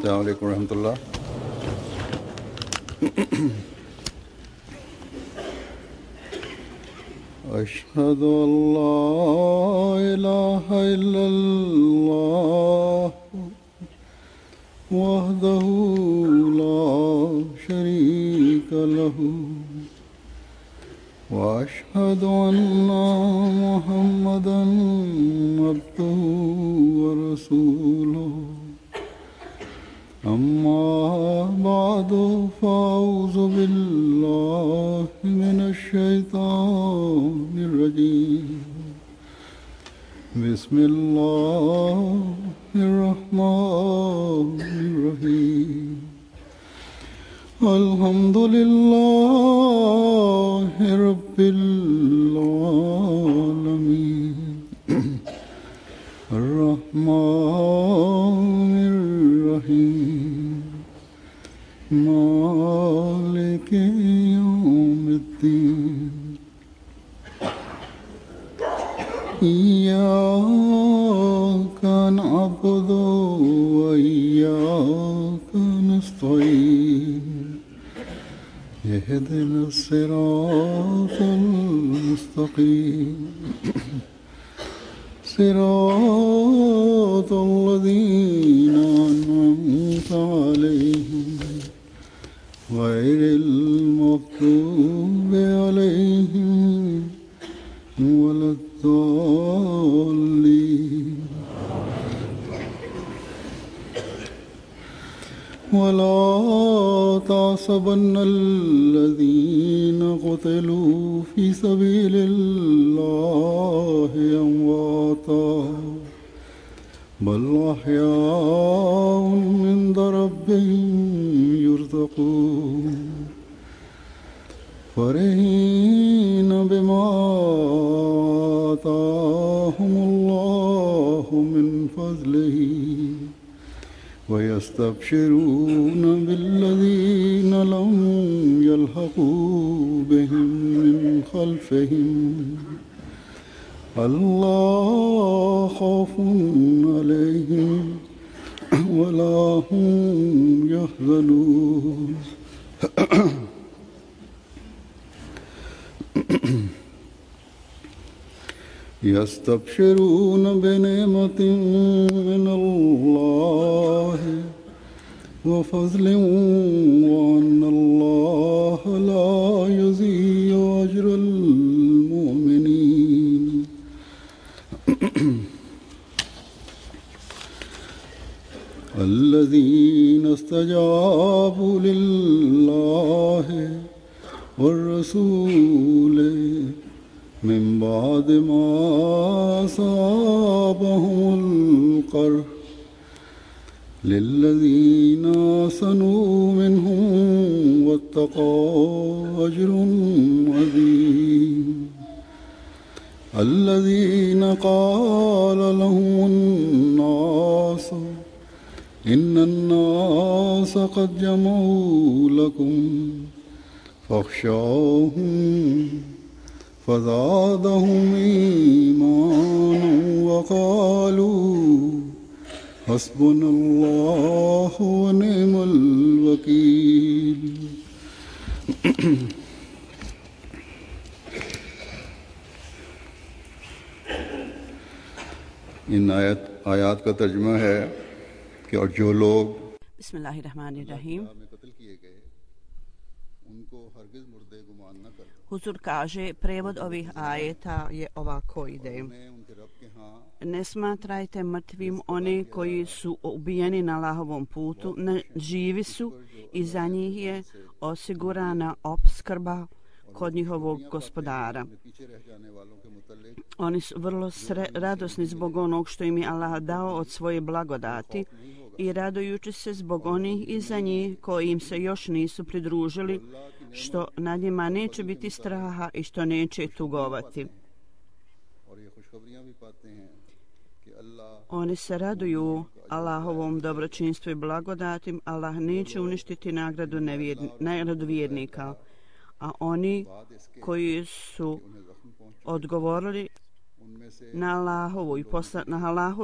अस्सलाम वालेकुम रहमतुल्लाह। अशहदु अल्ला इलाहा इल्लल्लाह वहदहु ला शरीका लहु व अशहदु अन्ना मुहम्मदन अब्दुहु व रसूलुहु। अम्मा बादु फ़अऊज़ु बिल्लाहि मिनश्शैतानिर रजीम। बिस्मिल्लाहिर रहमानिर रहीम। अल्हम्दुलिल्लाहि रब्बिल आलमीन अर्रहमानिर रहीम मालिकि यौमिद्दीन। इय्याका नअबुदु व इय्याका नस्तईन। इहदिनस सिरातल मुस्तक़ीम सिरातल लज़ीना अनअमता अलैहिम गैरिल मग़्दूबि अलैहिम वलद्दाल्लीन। वला तहसबन्नल्लज़ीन क़ुतिलू फ़ी सबीलिल्लाहि अम्वाता बल अह्याउन इन्द रब्बिहिम युर्ज़क़ून। फ़रीहीन बिमा आताहुमुल्लाहु मिन फ़ज़्लिही वयस्तबशिरून बिल्लज़ीन लम यल्हक़ू बिहिम मिन ख़ल्फ़िहिम अल्ला ख़ौफ़ुन अलैहिम वला हुम यहज़नून। यस्तबशिरून बिनिअमतिन मिनल्लाहि व फ़ज़लिन व अन्नल्लाह ला युज़ीअु अज्रल मुमिनीन। الذين استجابوا لله والرسول من بعد ما أصابهم القرح للذين أحسنوا منهم واتقوا أجر عظيم. الذين قال لهم الناس إن الناس قد جمعوا لكم فاخشوهم فزادهم إيمانا وقالوا حسبنا الله ونعم الوكيل. इन आयात का तर्जुमा है कि और जो लोग Bismillahirrahmanirrahim. Huzur kaže, prevod ovih ajeta je ovako ide. Ne smatrajte mrtvim one koji su ubijeni na Allahovom putu, živi su i za njih je osigurana opskrba kod njihovog gospodara. Oni su vrlo radosni zbog onog što im je Allah dao od svoje blagodati i radujući se zbog onih iza njih koji im se još nisu pridružili, što nad njima neće biti straha i što neće tugovati. Oni se raduju Allahovom dobročinstvu i blagodatim. Allah neće uništiti nagradu vjernika, a oni koji su odgovorili na Allahovu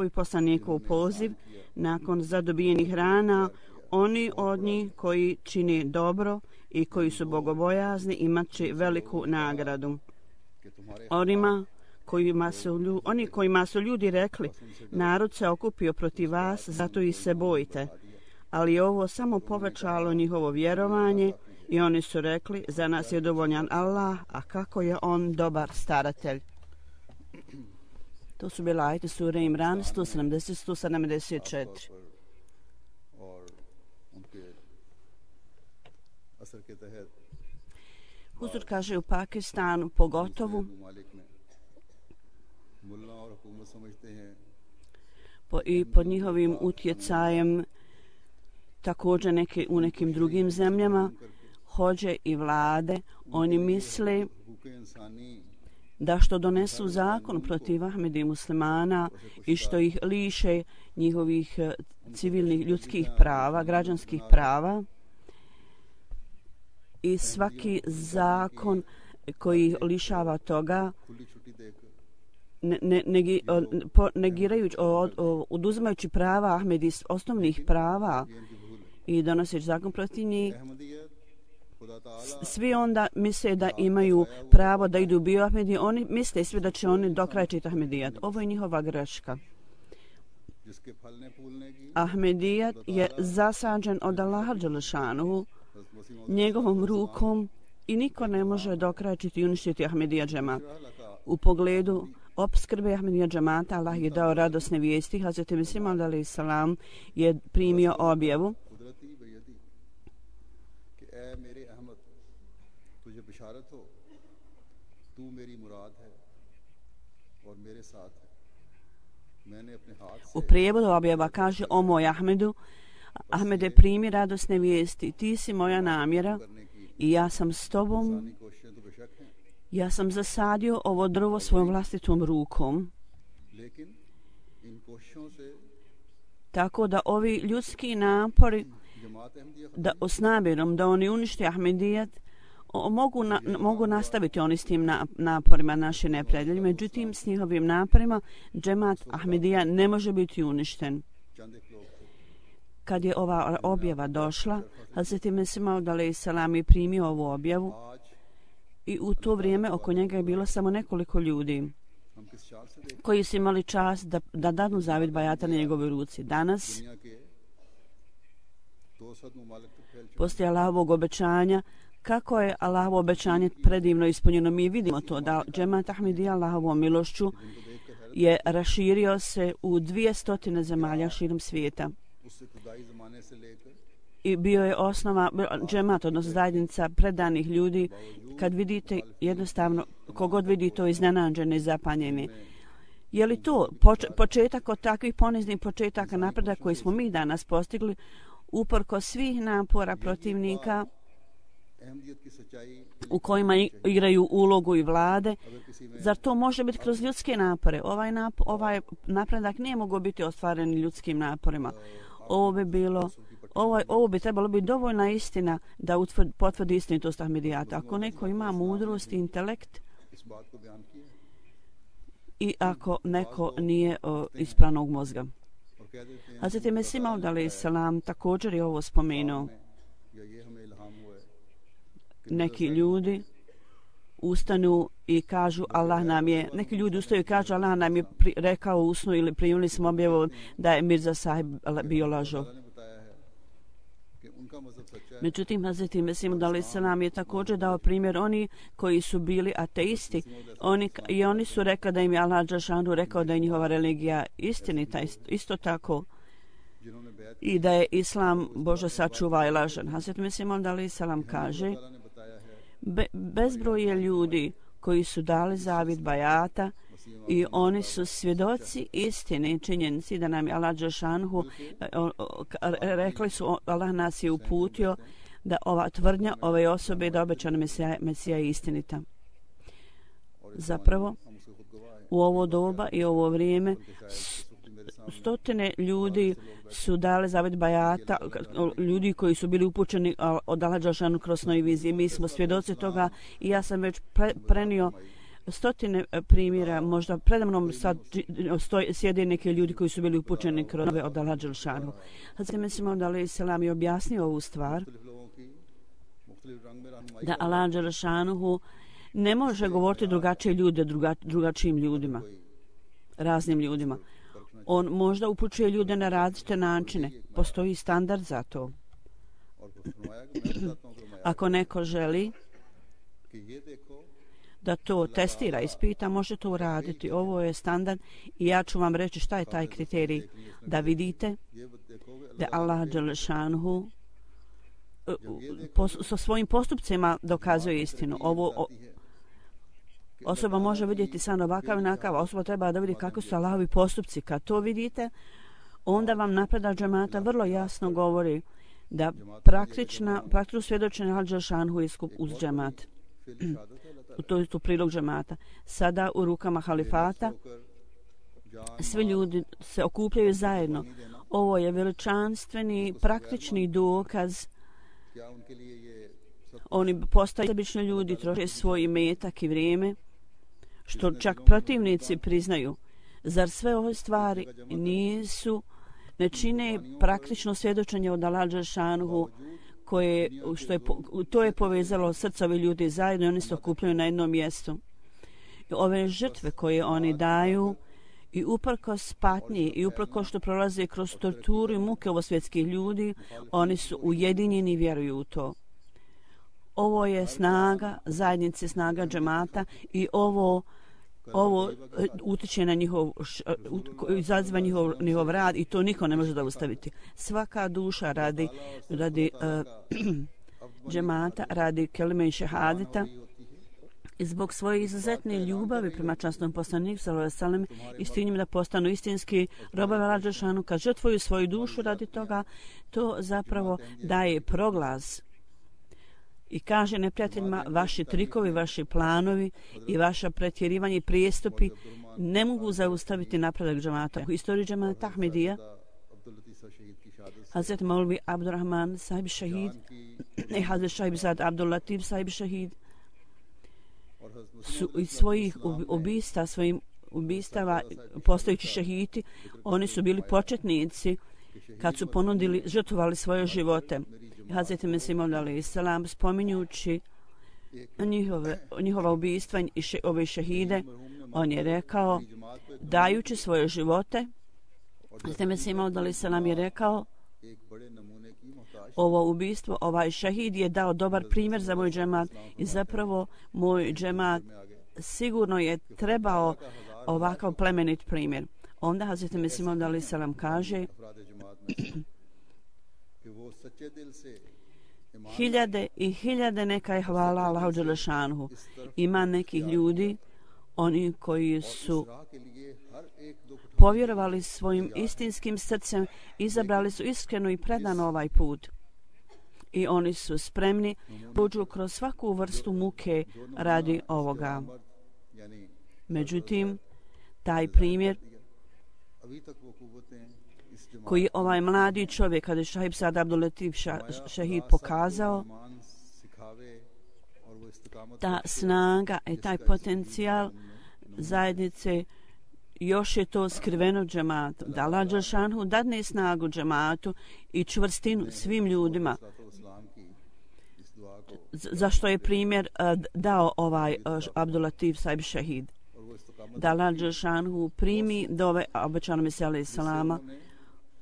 i poslanikov poziv nakon zadobijenih rana, oni od njih koji čini dobro i koji su bogobojazni imat će veliku nagradu. Oni kojima su ljudi rekli, narod se okupio protiv vas, zato i se bojite. Ali je ovo samo povećalo njihovo vjerovanje i oni su rekli, za nas je dovoljan Allah, a kako je on dobar staratelj. To su bile ajete sure Imran 170-174. Huzur kaže u Pakistanu pogotovo i pod njihovim utjecajem također u nekim drugim zemljama hođe i vlade, oni misle da što donesu zakon protiv Ahmedi i muslimana i što ih liše njihovih civilnih ljudskih prava, građanskih prava, i svaki zakon koji ih lišava toga, negirajući, oduzimajući prava Ahmedi, osnovnih prava i donoseći zakon protiv njih, svi onda misle da imaju pravo da idu bio Ahmedi, oni misle svi da će oni dokrajčiti Ahmedijat. Ovo je njihova greška. Ahmedijat je zasađen od Allaha dželešanu njegovom rukom i niko ne može dokrajčiti i uništiti Ahmedija džemat. U pogledu opskrbe Ahmedija džemata Allah je dao radosne vijesti. Hazreti Mesih Maud alejhi salam je primio objavu u prijevodu objava kaže: o moj Ahmedu, Ahmede, primi radosne vijesti, ti si moja namjera i ja sam s tobom. Ja sam zasadio ovo drvo svojom vlastitom rukom. Tako da ovi ljudski napori s namjerom da oni unište Ahmedijat mogu nastaviti oni s tim naporima naši neprijatelji. Međutim, s njihovim naporima džemat Ahmedija ne može biti uništen. Kad je ova objava došla, Hazreti Mesih Maud alejhi salam je primio ovu objavu i u to vrijeme oko njega je bilo samo nekoliko ljudi koji su imali čast da dadu zavid bajata na njegovoj ruci. Danas, poslije Allahovog obećanja, kako je Allahovo obećanje predivno ispunjeno, mi vidimo to da džemat Ahmedija Allahovom milošću je raširio se u 200 zemalja širom svijeta. I bio je osnova džemat, odnosno zajednica predanih ljudi. Kad vidite, jednostavno, kogod vidi to iznenađene i zapanjeni. Je li to početak od takvih poniznih početaka napredak koji smo mi danas postigli, uprkos svih napora protivnika u kojima igraju ulogu i vlade? Zar to može biti kroz ljudske napore? Ovaj napredak nije mogao biti ostvaren ljudskim naporima. Ovo bi trebalo biti dovoljna istina da potvrdi istinitost Ahmedijata. Ako neko ima mudrost i intelekt i ako neko nije ispravnog mozga. Hazreti Mesih Maud alejhi salam također je ovo spomenuo. Neki ljudi ustanu i kažu Allah nam je, neki ljudi ustaju i kažu Allah nam je rekao u snu ili primili smo objavu da je Mirza Sahib bio lažov. Međutim, Hazreti Mesih Maud alejhi salam je također dao primjer oni koji su bili ateisti. Oni su rekli da im je Allah dželešanu rekao da je njihova religija istinita, isto tako i da je Islam Bože sačuva i lažan. Hazreti Mesih Maud alejhi salam kaže: bezbroj je ljudi koji su dali zavid bajata i oni su svjedoci istine, činjenici da nam je Allah dželešanu rekli su, Allah nas je uputio da ova tvrdnja ove osobe da obećana Mesija je istinita. Zapravo, u ovo doba i ovo vrijeme stotine ljudi su dali zavid bajata, ljudi koji su bili upućeni od Allah dželešanu kroz snovi vizije. Mi smo svjedoci toga i ja sam već prenio stotine primjera, možda predamnom sad sjede neki ljudi koji su bili upućeni kroz ove od Allah Đelešanu. Hazret Mesih Maud alejhi selam je objasnio ovu stvar, da Allah Đelešanu ne može govoriti drugačije ljude drugačijim ljudima, raznim ljudima. On možda upućuje ljude na različite načine. Postoji standard za to. Ako neko želi da to testira, ispita, može to uraditi. Ovo je standard i ja ću vam reći šta je taj kriterij. Da vidite da Allah Đelešanu sa svojim postupcima dokazuje istinu. Ovo osoba može vidjeti samo ovakav i onakav. Osoba treba da vidi kako su Allahovi postupci. Kad to vidite, onda vam napredak džemata vrlo jasno govori da praktično svjedočenje Allah Đelešanu je uz džemat. To je tu prilog džemata. Sada u rukama halifata svi ljudi se okupljaju zajedno. Ovo je veličanstveni, praktični dokaz. Oni postaju sebični ljudi, troše svoj imetak i vrijeme, što čak protivnici priznaju. Zar sve ove stvari ne čine praktično svjedočenje od Allah Đelešanu, to je povezalo srca ovih ljudi zajedno i oni se okupljaju na jednom mjestu. I ove žrtve koje oni daju i uprkos patnji i uprkos što prolaze kroz torturu i muke ovosvjetskih ljudi, oni su ujedinjeni i vjeruju u to. Ovo je snaga zajednice, snaga džemata i ovo utiče na izaziva njihov rad i to niko ne može zaustaviti. Svaka duša radi džemata, radi kelime i šehadeta i zbog svoje izuzetne ljubavi prema časnom poslaniku sallallahu alejhi ve sellem i s tim da postanu istinski robovi Allah Đelešanu, kad žrtvuju svoju dušu radi toga, to zapravo daje proglas i kaže neprijateljima, vaši trikovi, vaši planovi i vaša pretjerivanje i prijestupi ne mogu zaustaviti napredak džemata. U istoriji džemata Ahmedija Hazret Maulvi Abdurrahman sahib šahid i Hazret Šahib Zad Abdul Latif sahib šahid su iz svojih ubistava postojeći šahidi, oni su bili početnici kad su žrtvovali svoje živote. Hazret Mesih Maud alejhi selam spominjući njihova ubistva i ove šehide, on je rekao, dajući svoje živote, Hazret Mesih Maud alejhi selam je rekao, ovo ubistvo, ovaj šehid je dao dobar primjer za moj džemat i zapravo moj džemat sigurno je trebao ovakav plemenit primjer. Onda Hazret Mesih Maud alejhi selam kaže, hiljade i hiljade neka je hvala Allahu Đelešanu. Ima nekih ljudi, oni koji su povjerovali svojim istinskim srcem, izabrali su iskreno i predano ovaj put. I oni su spremni prođu kroz svaku vrstu muke radi ovoga. Međutim, taj primjer koji ovaj mladi čovjek, kada je Šahib Sad Abdul Latif šahid pokazao, ta snaga i taj potencijal zajednice, još je to skriveno džematu. Da Allah Đelešanu dadne snagu džematu i čvrstinu svim ljudima. Zašto je primjer dao ovaj Abdul Latif sahib šahid? Da Allah Đelešanu primi dove obećanog Mesija alejhi selama,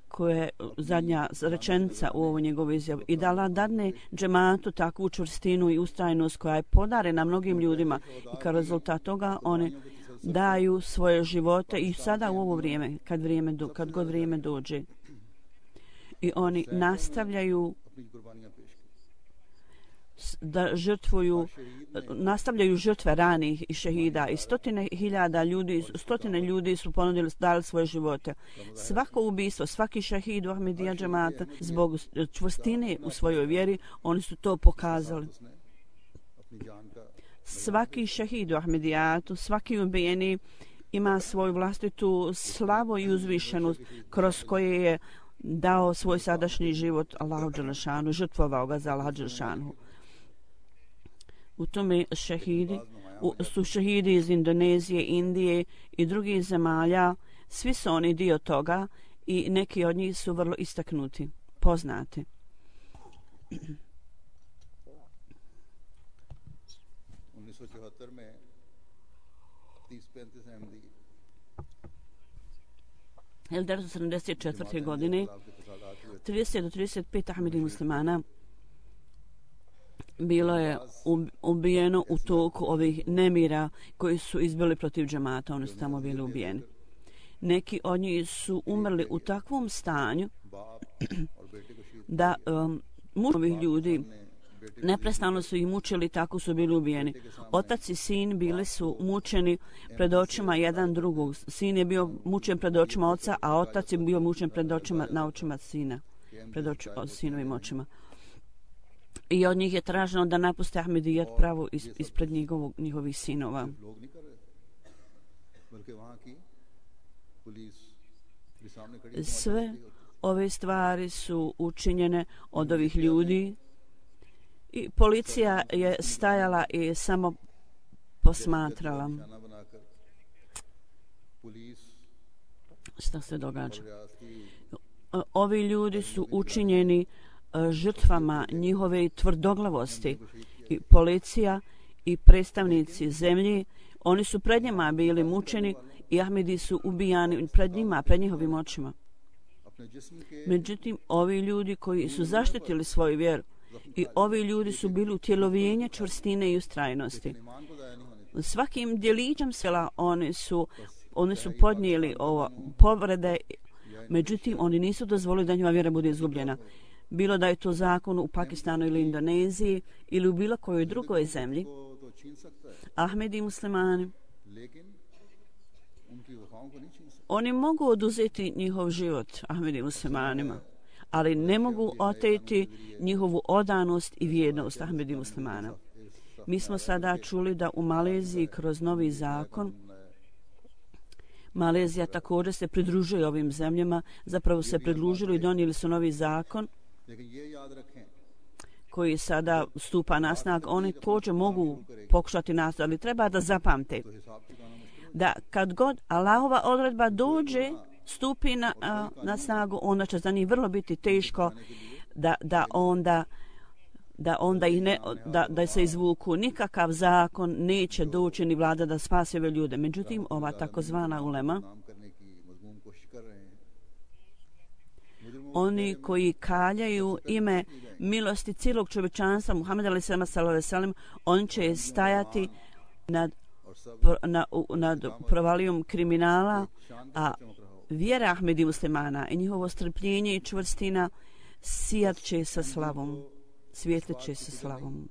koja je zadnja rečenica u ovoj njegovoj izjavi, i da Allah dadne džematu takvu čvrstinu i ustrajnost koja je podarena mnogim ljudima i kao rezultat toga oni daju svoje živote i sada u ovo vrijeme, kad god vrijeme dođe. I oni nastavljaju da nastavljaju žrtve ranih i šehida i stotine ljudi su dali svoje živote. Svako ubistvo, svaki šehid u Ahmedija džemata zbog čvrstine u svojoj vjeri, oni su to pokazali. Svaki šehid u Ahmedijatu, svaki ubijeni ima svoju vlastitu slavu i uzvišenost kroz koje je dao svoj sadašnji život Allahu Đelešanu, žrtvovao ga za Allahu Đelešanu. U tome šehidi su šehidi iz Indonezije, Indije i drugih zemalja. Svi su oni dio toga i neki od njih su vrlo istaknuti, poznati. 1974. godine 30 do 35 Ahmedi muslimana bilo je ubijeno u toku ovih nemira koji su izbili protiv džemata. Oni su tamo bili ubijeni. Neki od njih su umrli u takvom stanju da ovih ljudi neprestano su ih mučili, tako su bili ubijeni. Otac i sin bili su mučeni pred očima jedan drugog. Sin je bio mučen pred očima oca, a otac je bio mučen pred očima, na očima sina, pred sinovim očima. I od njih je traženo da napuste Ahmedijat pravo ispred njihovih sinova. Sve ove stvari su učinjene od ovih ljudi i policija je stajala i samo posmatrala šta se događa. Ovi ljudi su učinjeni žrtvama njihove tvrdoglavosti i policija i predstavnici zemlji, oni su pred njima bili mučeni i Ahmedi su ubijani pred njima, pred njihovim očima. Međutim, ovi ljudi koji su zaštitili svoju vjeru i ovi ljudi su bili utjelovljenje čvrstine i ustrajnosti. Svakim djelićem sela oni su podnijeli povrede, međutim oni nisu dozvolili da njima vjera bude izgubljena. Bilo da je to zakon u Pakistanu ili Indoneziji ili u bilo kojoj drugoj zemlji, Ahmedi muslimani, oni mogu oduzeti njihov život Ahmedi muslimanima, ali ne mogu oteti njihovu odanost i vjernost Ahmedi muslimana. Mi smo sada čuli da u Maleziji kroz novi zakon, Malezija također se pridružuje ovim zemljama, zapravo se pridružili i donijeli su novi zakon koji sada stupa na snagu. Oni također mogu pokušati nas, ali treba da zapamte da kad god Allahova odredba dođe, stupi na snagu, onda će za njih vrlo biti teško da se izvuku. Nikakav zakon neće doći ni vlada da spasi ove ljude. Međutim, ova takozvana ulema, oni koji kaljaju ime milosti cijelog čovječanstva, Muhammed a.s. on će stajati nad provalijom kriminala, a vjera Ahmedi muslimana i njihovo strpljenje i čvrstina sijat će sa slavom, svijetlit će sa slavom.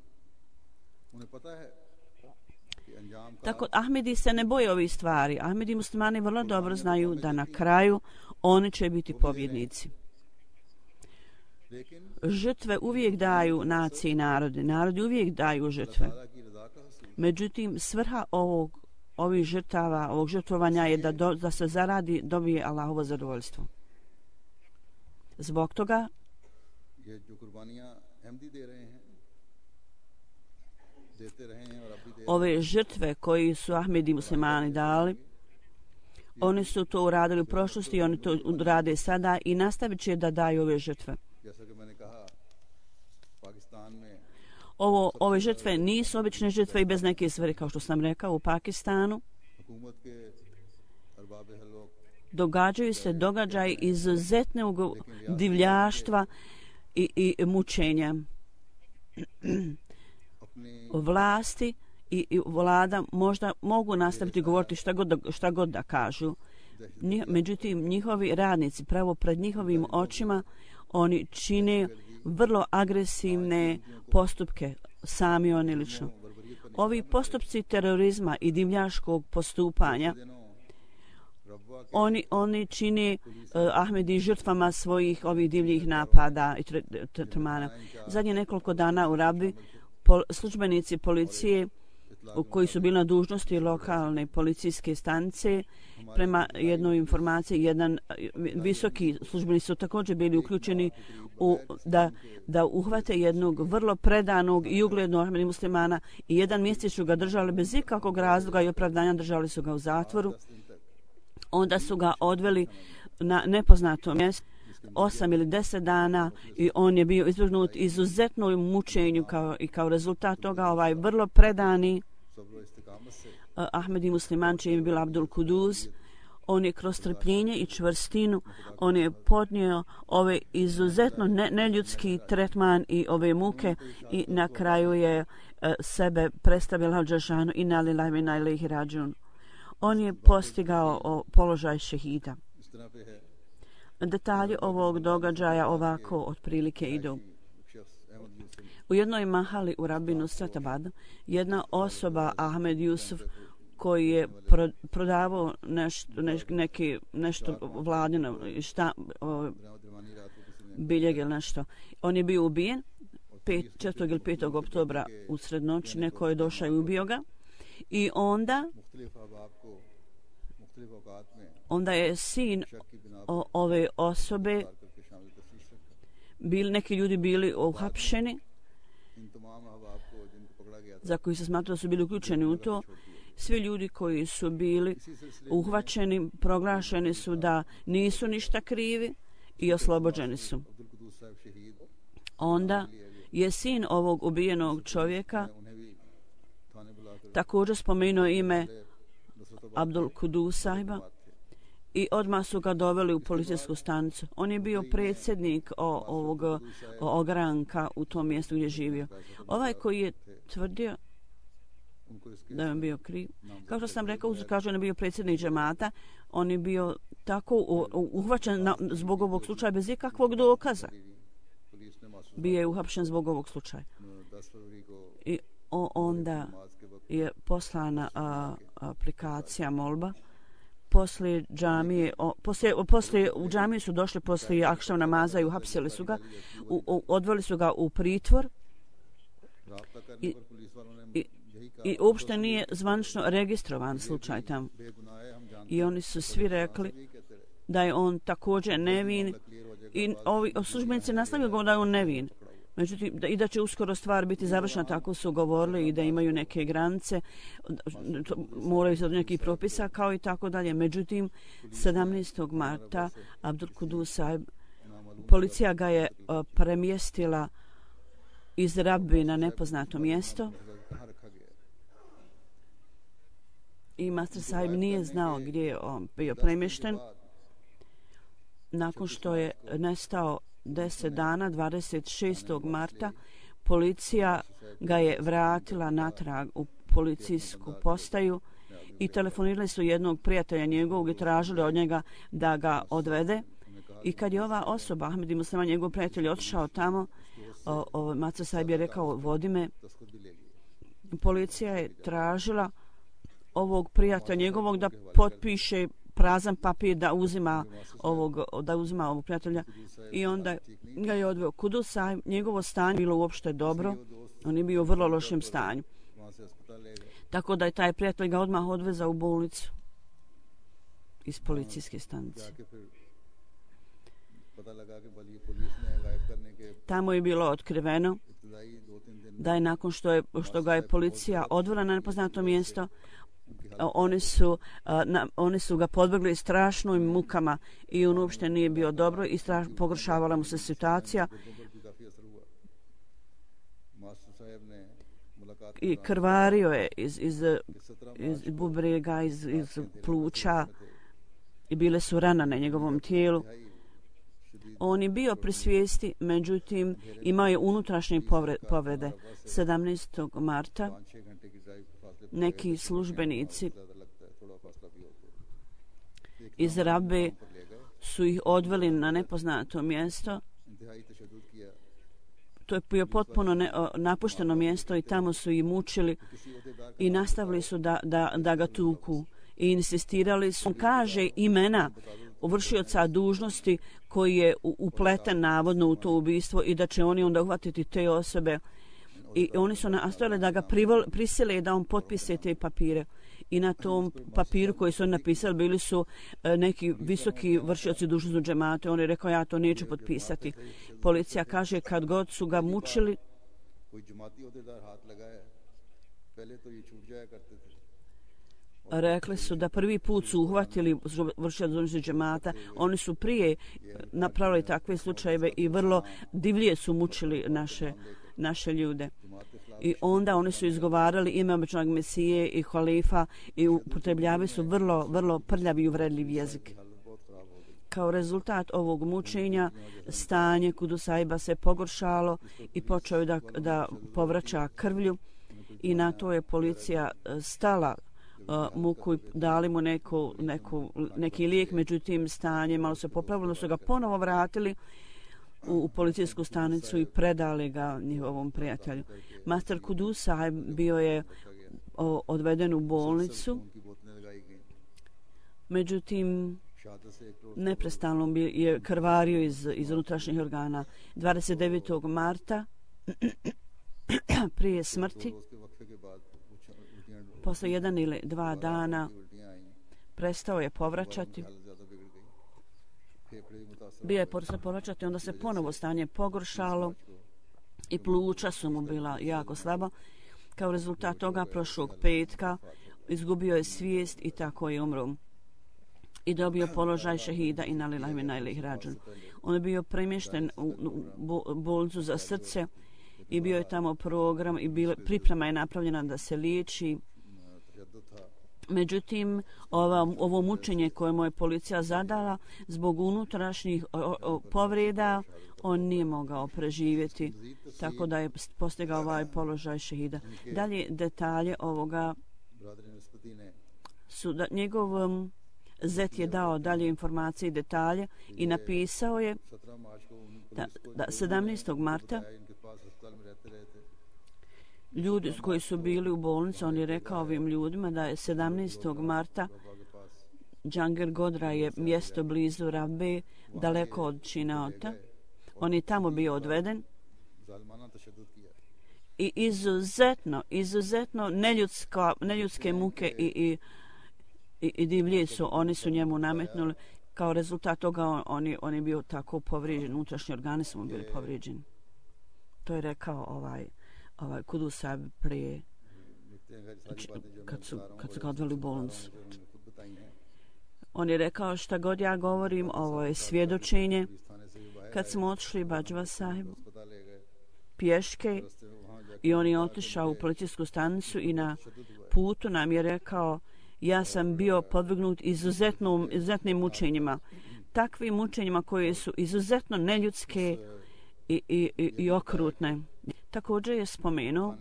Tako Ahmedi se ne boje ovih stvari. Ahmedi muslimani vrlo dobro znaju da na kraju oni će biti pobjednici. Žrtve uvijek daju naciji i narodi uvijek daju žrtve. Međutim, svrha ovih žrtava, ovog žrtvovanja je da se zaradi, dobije Allahovo zadovoljstvo. Zbog toga ove žrtve koji su Ahmedi muslimani dali, oni su to uradili u prošlosti i oni to rade sada i nastavit će da daju ove žrtve. Ove žrtve nisu obične žrtve i bez neke svrhe, kao što sam rekao, u Pakistanu događaju se događaji izuzetnog divljaštva i mučenja. Vlasti i vlada možda mogu nastaviti govoriti šta god da kažu. Međutim, njihovi radnici, pravo pred njihovim očima, oni čine vrlo agresivne postupke, sami oni lično. Ovi postupci terorizma i divljaškog postupanja, oni čine Ahmedi žrtvama svojih ovih divljih napada i trmana. Zadnje nekoliko dana u Rabi službenici policije koji su bili na dužnosti lokalne policijske stanice. Prema jednoj informaciji, jedan visoki službeni su također bili uključeni da uhvate jednog vrlo predanog i uglednog Ahmedi muslimana i jedan mjesec su ga držali bez ikakvog razloga i opravdanja, držali su ga u zatvoru. Onda su ga odveli na nepoznato mjesto 8 ili 10 dana i on je bio izvrgnut izuzetnom mučenju kao rezultat toga ovaj vrlo predani Ahmedi musliman, čiji je bio Abdul Kuduz. On je kroz trpljenje i čvrstinu, on je podnio ove izuzetno neljudski tretman i ove muke i na kraju je sebe predstavio Al-Đašanu i nalilaj mi najlehi rađun. On je postigao položaj šehida. Detalji ovog događaja ovako otprilike idu. U jednoj mahali u Rabinu Stratabadu jedna osoba, Ahmed Yusuf, koji je prodavao nešto vladino, biljeg ili nešto. On je bio ubijen 4. ili 5. oktobra usred noći. Neko je došao i ubio ga. I onda je sin ove osobe, neki ljudi bili uhapšeni, za koji se smatralo da su bili uključeni u to. Svi ljudi koji su bili uhvaćeni proglašeni su da nisu ništa krivi i oslobođeni su. Onda je sin ovog ubijenog čovjeka također spomenuo ime Abdul Kuduz sahiba i odmah su ga doveli u policijsku stanicu. On je bio predsjednik ovog ogranka u tom mjestu gdje je živio. Ovaj koji je tvrdio da je on bio kriv, kao što sam rekao, kaže on je bio predsjednik džemata, on je bio tako uhvaćen zbog ovog slučaja bez ikakvog dokaza. Bio je uhapšen zbog ovog slučaja. I onda je poslana aplikacija molba. Poslije džamije, u džamiju su došli poslije akšav namaza i uhapsili su ga, odveli su ga u pritvor i uopšte nije zvanično registrovan slučaj tamo. I oni su svi rekli da je on također nevin i ovi službenici nastavljaju da je on nevin. Međutim, i da će uskoro stvar biti završena, tako su govorili, i da imaju neke granice, moraju se od nekih propisa, kao i tako dalje. Međutim, 17. marta Abdul Kuduz sahib, policija ga je premjestila iz Rabbi na nepoznato mjesto i master sahib nije znao gdje je on bio premješten. Nakon što je nestao 10 dana, 26. marta, policija ga je vratila natrag u policijsku postaju i telefonirali su jednog prijatelja njegovog i tražili od njega da ga odvede. I kad je ova osoba, Ahmedi musliman, njegov prijatelj, otišao tamo, master sahib je rekao, vodi me. Policija je tražila ovog prijatelja njegovog da potpiše prazan papir da uzima ovog prijatelja i onda ga je odveo. Kuduz sahib, njegovo stanje bilo uopšte dobro, on je bio u vrlo lošem stanju. Tako da je taj prijatelj ga odmah odvezao u bolnicu iz policijske stanice. Tamo je bilo otkriveno da je nakon što ga je policija odvela na nepoznato mjesto, oni su ga podvrgli strašnim mukama i on uopšte nije bio dobro i pogoršavala mu se situacija i krvario je iz bubrega, iz pluća i bile su rane na njegovom tijelu. On je bio pri svijesti, međutim imao je unutrašnje povrede. 17. marta neki službenici iz Rabbe su ih odveli na nepoznato mjesto. To je bio potpuno napušteno mjesto i tamo su ih mučili i nastavili su da ga tuku i insistirali su. On kaže imena vršioca dužnosti koji je upleten navodno u to ubistvo i da će oni onda uhvatiti te osobe I oni su nastojali da ga prisile da on potpise te papire. I na tom papiru koji su oni napisali bili su neki visoki vršioci dužnosti džemata. On je rekao ja to neću potpisati. Policija kaže kad god su ga mučili, rekli su da prvi put su uhvatili vršioci dužnosti džemata. Oni su prije napravili takve slučajeve i vrlo divlje su mučili naše ljude. I onda oni su izgovarali ime običnog Mesije i halifa i upotrebljavali su vrlo prljav i uvredljiv jezik. Kao rezultat ovog mučenja stanje Kudusajba se pogoršalo i počeo da povraća krvlju i na to je policija stala muku i dali mu neki lijek, međutim stanje malo se popravilo, su ga ponovo vratili u policijsku stanicu i predali ga njihovom prijatelju. Master Kudus Sahib bio je odveden u bolnicu, međutim neprestano je krvario iz unutrašnjih organa. 29. marta prije smrti, posle 1 ili 2 dana, prestao je povraćati. Bio je povraćati, onda se ponovo stanje pogoršalo i pluća su mu bila jako slaba. Kao rezultat toga prošlog petka izgubio je svijest i tako je umro. I dobio položaj šehida i nalillahi wa inna ilaihi rađun. On je bio premješten u bolnicu za srce i bio je tamo program i priprema je napravljena da se liječi. Međutim, ovo mučenje koje mu je policija zadala zbog unutrašnjih povreda, on nije mogao preživjeti, tako da je postigao ovaj položaj šehida. Dalje detalje ovoga su da njegov zet je dao dalje informacije i detalje i napisao je da 17. marta ljudi koji su bili u bolnici, on je rekao ovim ljudima da je 17. marta Džangir Godra je mjesto blizu Rabbe, daleko od Činaota. On je tamo bio odveden i izuzetno neljudske muke i divlje oni su njemu nametnuli. Kao rezultat toga on je bio tako povrijeđen, unutrašnji organi su mu bili povrijeđeni. To je rekao ovaj Kudus Sahib prije kad su ga odveli u bolnicu. On je rekao šta god ja govorim, ovo je svjedočenje. Kad smo otišli Bađva Sahibu pješke i on je otišao u policijsku stanicu i na putu nam je rekao ja sam bio podvrgnut izuzetnim mučenjima. Takvim mučenjima koje su izuzetno neljudske i okrutne. Također je spomenuo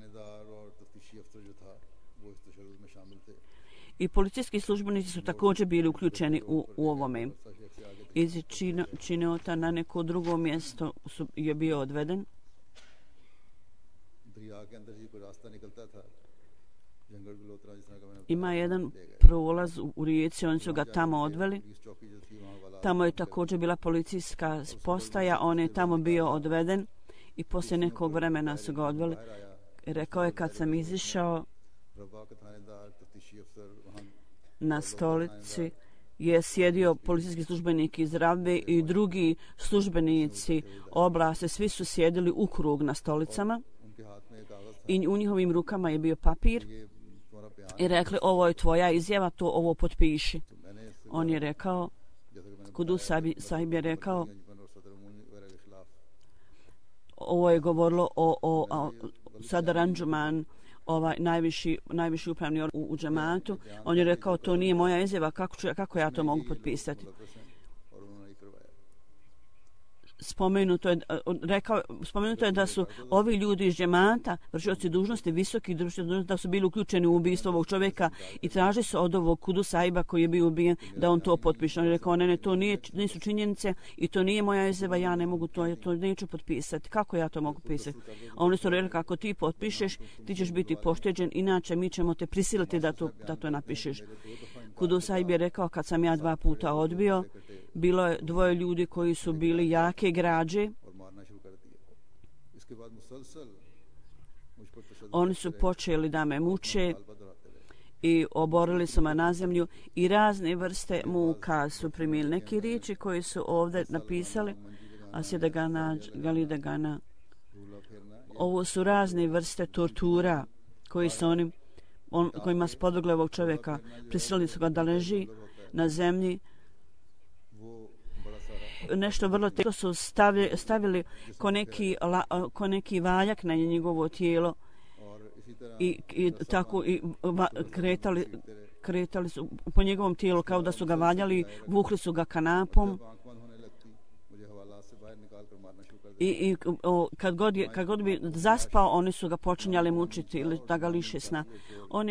i policijski službenici su također bili uključeni u ovome. Iz Činaota na neko drugo mjesto je bio odveden. Ima jedan prolaz u rijeci, oni su ga tamo odveli. Tamo je također bila policijska postaja, on je tamo bio odveden i poslije nekog vremena su ga odveli. Rekao je kad sam izišao na stolici je sjedio policijski službenik iz Rabbe i drugi službenici oblasti, svi su sjedili u krug na stolicama i u njihovim rukama je bio papir i rekli ovo je tvoja izjava, to ovo potpiši. On je rekao, Kudus Sahib je rekao, ovo je govorilo o Sadr Anjuman, najviši upravni organ u džematu. On je rekao to nije moja izjava, kako ja to mogu potpisati? Spomenuto je da su ovi ljudi iz džemata, vršioci dužnosti, visoki vršioci dužnosti, da su bili uključeni u ubistvo ovog čovjeka i traži se od ovog Kudus Sahiba koji je bio ubijen da on to potpiše. On je rekao, ne, to nisu činjenice i to nije moja izjava, ja ne mogu to neću potpisati. Kako ja to mogu pisati? Oni su rekli, kako ti potpišeš, ti ćeš biti pošteđen, inače mi ćemo te prisiliti da to napišeš. Kudus Sahib je rekao, kad sam ja 2 puta odbio, bilo je 2 ljudi koji su bili jake građe Oni su počeli da me muče i oborili su me na zemlju i razne vrste muka su primili. Neki riječi koji su ovdje napisali, Asida Gana, Galida Gana, ovo su razne vrste tortura koji su kojima su podvrgli ovog čovjeka. Prisilili su ga da leži na zemlji. Nešto vrlo teško su stavili ko neki valjak na njegovo tijelo i tako kretali su po njegovom tijelu kao da su ga valjali, vukli su ga kanapom i kad god bi zaspao, oni su ga počinjali mučiti ili da ga liše sna. On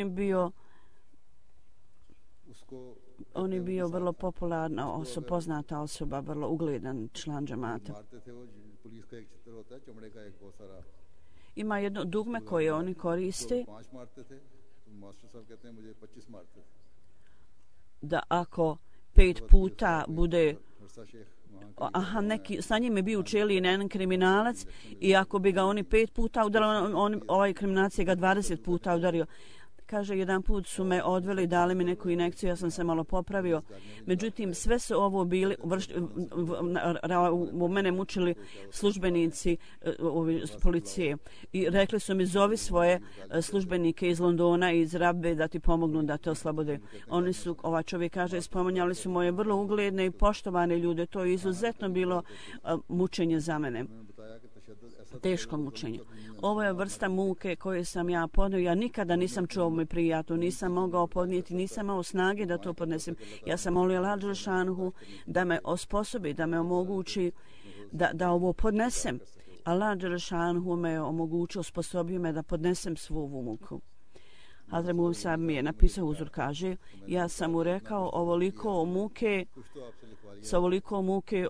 je bio vrlo popularna osoba, poznata osoba, vrlo ugledan član džemata. Ima jedno dugme koje oni koriste da ako 5 puta bude sa njim je bio u čeliji jedan kriminalac i ako bi ga oni 5 puta udarili, ovaj kriminalac je ga 20 puta udario. Kaže, jedan put su me odveli, dali mi neku injekciju, ja sam se malo popravio. Međutim, sve su ovo bili, u mene mučili službenici policije. I rekli su mi, zovi svoje službenike iz Londona i iz Rabbe da ti pomognu da te oslobode. Oni su, ovaj čovjek kaže, spominjali su moje vrlo ugledne i poštovane ljude. To je izuzetno bilo mučenje za mene. Teško mučenje. Ovo je vrsta muke koje sam ja podnio. Ja nikada nisam čuo mi prijatno, nisam mogao podnijeti, nisam imao snage da to podnesem. Ja sam molio Allah dželešanuhu da me osposobi, da me omogući da ovo podnesem. Allah dželešanuhu me omogućio, osposobio me da podnesem svu ovu muku. Hazret Musa mi je napisao uzor, kaže, ja sam mu rekao ovoliko muke, sa ovoliko muke,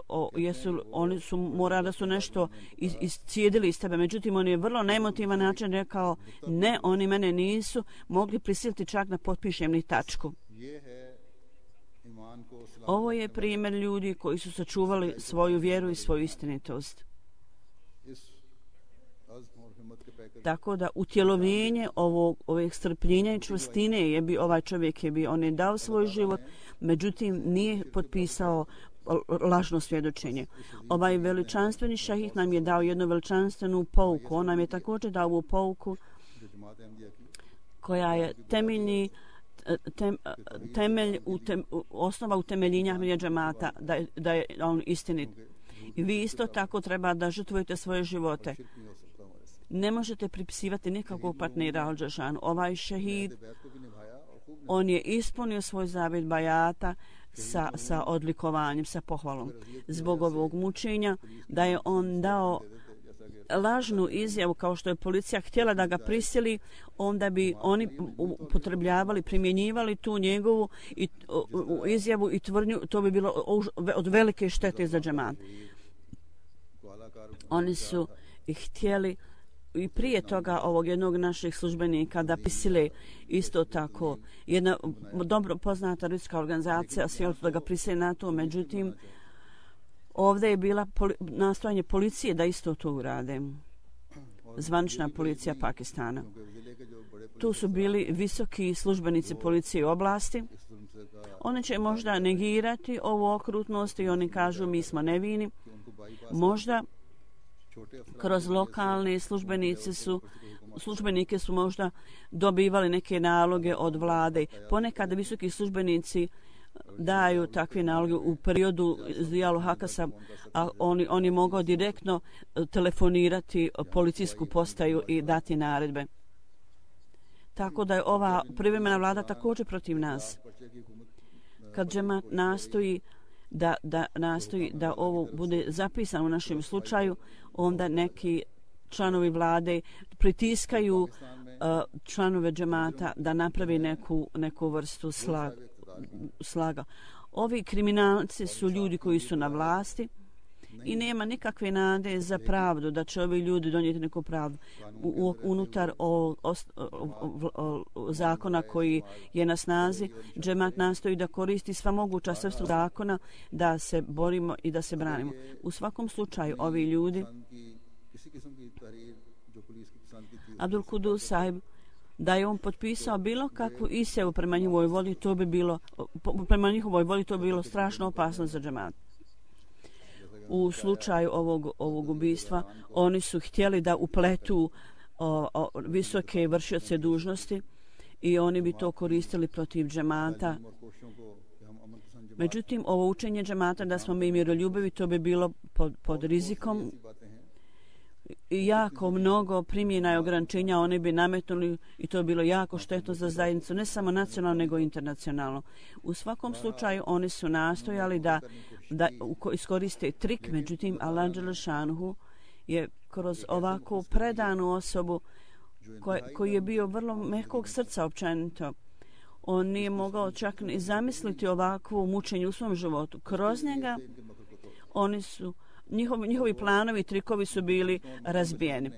oni su morali da su nešto iscijedili iz tebe. Međutim, on je vrlo neemotivan način rekao, ne, oni mene nisu mogli prisiliti čak da potpišem ni tačku. Ovo je primjer ljudi koji su sačuvali svoju vjeru i svoju istinitost. Tako da utjelovljenje ovih strpljenja i čvrstine ovaj čovjek on je dao svoj život, međutim nije potpisao lažno svjedočenje. Ovaj veličanstveni šahid nam je dao jednu veličanstvenu pouku. On nam je također dao ovu pouku koja je osnova utemeljenja džemata, da je on istinit. I vi isto tako treba da žrtvujete svoje živote. Ne možete pripisivati nikakvog partnera Al-Džešanu. Ovaj šehid, on je ispunio svoj zavjet bajata sa odlikovanjem, sa pohvalom. Zbog ovog mučenja da je on dao lažnu izjavu, kao što je policija htjela da ga prisili, onda bi oni upotrebljavali, primjenjivali tu njegovu izjavu i tvrdnju, to bi bilo od velike štete za džemat. Oni su htjeli i prije toga ovog jednog naših službenika da prisile isto tako. Jedna dobro poznata ljudska organizacija htjela da ga prisile na to, međutim ovdje je bila nastojanje policije da isto to urade. Zvanična policija Pakistana. Tu su bili visoki službenici policije u oblasti. Oni će možda negirati ovu okrutnost i oni kažu mi smo nevini. Možda kroz lokalne službenike su možda dobivali neke naloge od vlade. Ponekad visoki službenici daju takve naloge u periodu Zijalu Hakasa, a oni mogu direktno telefonirati policijsku postaju i dati naredbe. Tako da je ova privremena vlada također protiv nas. Kad džemat nastoji da ovo bude zapisano u našem slučaju, onda neki članovi vlade pritiskaju članove džemata da napravi neku vrstu slaga. Ovi kriminalci su ljudi koji su na vlasti i nema nikakve nade za pravdu, da će ovi ljudi donijeti neku pravdu. Unutar zakona koji je na snazi, džemat nastoji da koristi sva moguća sredstva zakona da se borimo i da se branimo. U svakom slučaju, ovi ljudi Abdul Kudus sahib, da je on potpisao bilo kakvu izjavu prema njihovoj volji, to bi bilo, prema njihovoj volji to bi bilo strašno opasno za džemat. U slučaju ovog ubistva oni su htjeli da upletu visoke vršioce dužnosti i oni bi to koristili protiv džemata. Međutim, ovo učenje džemata da smo mi miroljubivi, to bi bilo pod rizikom i jako mnogo primjena i ograničenja oni bi nametnuli i to bi bilo jako štetno za zajednicu, ne samo nacionalno nego internacionalno. U svakom slučaju oni su nastojali da iskoriste trik, međutim Allah dželle šanuhu je kroz ovakvu predanu osobu koji je bio vrlo mekog srca općenito. On nije mogao čak ni zamisliti ovakvo mučenje u svom životu. Kroz njega oni su njihovi planovi i trikovi su bili razbijeni.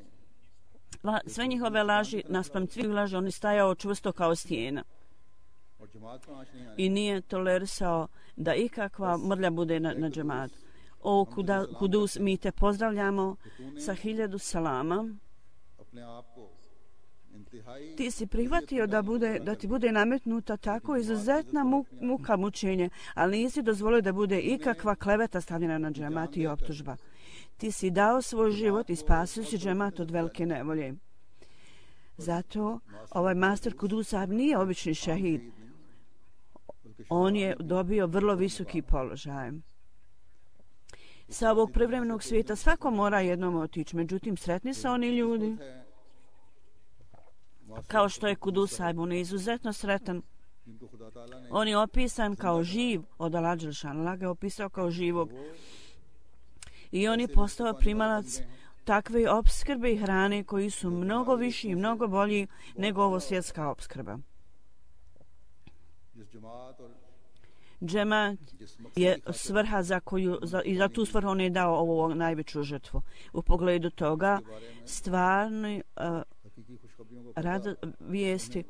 Sve njihove laži, naspram svih laži, on je stajao čvrsto kao stijena. I nije tolerisao da ikakva mrlja bude na džematu. O Kudus, mi te pozdravljamo sa 1000 salama. Ti si prihvatio da ti bude nametnuta tako izuzetna muka mučenje, ali nisi dozvolio da bude ikakva kleveta stavljena na džemat i optužba. Ti si dao svoj život i spasio si džemat od velike nevolje. Zato ovaj master Kudus nije obični šehid. On je dobio vrlo visoki položaj. Sa ovog privremenog svijeta svako mora jednom otići, međutim sretni su oni ljudi kao što je Kudus sahib, on je izuzetno sretan. On je opisan kao živ od Allah dželle šanuhu, Allah ga je opisao kao živog. I on je postao primalac takve opskrbe i hrane koji su mnogo viši i mnogo bolji nego ovo svjetska opskrba. Džemat je svrha i za tu svrhu on je dao ovu najveću žrtvu. U pogledu toga stvarni rad vijesti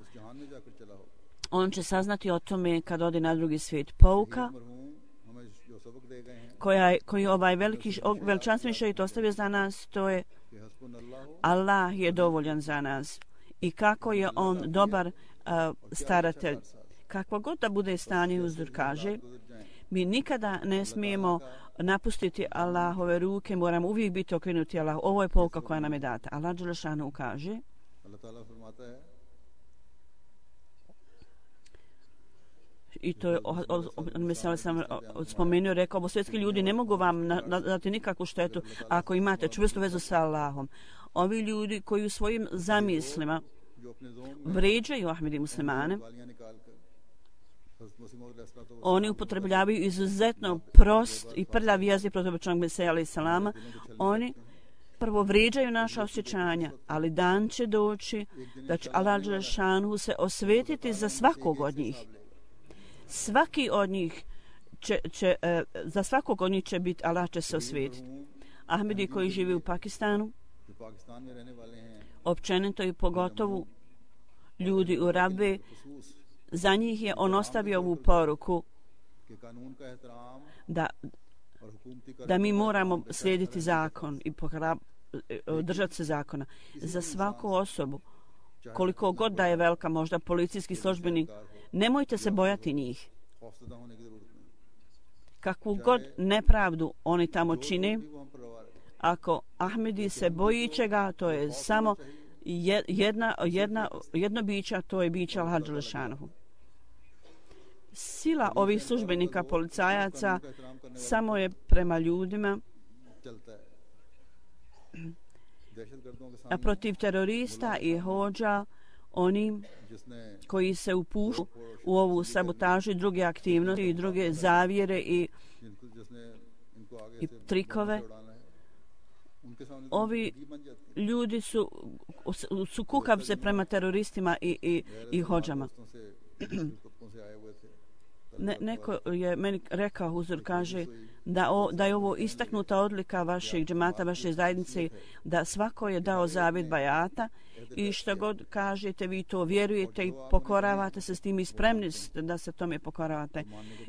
on će saznati o tome kad ode na drugi svijet. Pouka koji ovaj veličanstveni šehid ostavio za nas, to je Allah je dovoljan za nas i kako je on dobar staratelj. Kakvo god da bude stanje, uzor kaže, mi nikada ne smijemo napustiti Allahove ruke, moramo uvijek biti okrenuti Allah. Ovo je pouka koja nam je data. Allah dželle šanuhu kaže i to je mesela sam spomenuo, rekao, svjetski ljudi ne mogu vam dati nikakvu štetu ako imate čvrstu vezu sa Allahom. Ovi ljudi koji u svojim zamislima vređaju Ahmedi muslimane, oni upotrebljavaju izuzetno prost i prljav jezik protiv običnog Mesija alejhi selama. Oni prvo vrijeđaju naša osjećanja, ali dan će doći da će Allah dželle šanuhu se osvetiti za svakog od njih. Svaki od njih za svakog od njih će biti, Allah će se osvetiti. Ahmedi koji živi u Pakistanu, općenito i pogotovo ljudi u Rabbe, za njih je on ostavio ovu poruku da mi moramo slijediti zakon i držati se zakona. Za svaku osobu, koliko god da je velika, možda policijski službenik, nemojte se bojati njih. Kakvu god nepravdu oni tamo čine, ako Ahmedi se boji čega, to je samo jedno biće, to je biće Allah dželle šanuhu. Sila ovih službenika, policajaca, samo je prema ljudima, a protiv terorista i hodža, oni koji se upuštu u ovu sabotažu i druge aktivnosti i druge zavjere i trikove. Ovi ljudi su kukavce prema teroristima i hodžama. Neko je meni rekao, huzur kaže, da je ovo istaknuta odlika vašeg džemata, vaše zajednice, da svako je dao zavjet bajata i što god kažete, vi to vjerujete i pokoravate se s tim i spremni da se tome pokoravate.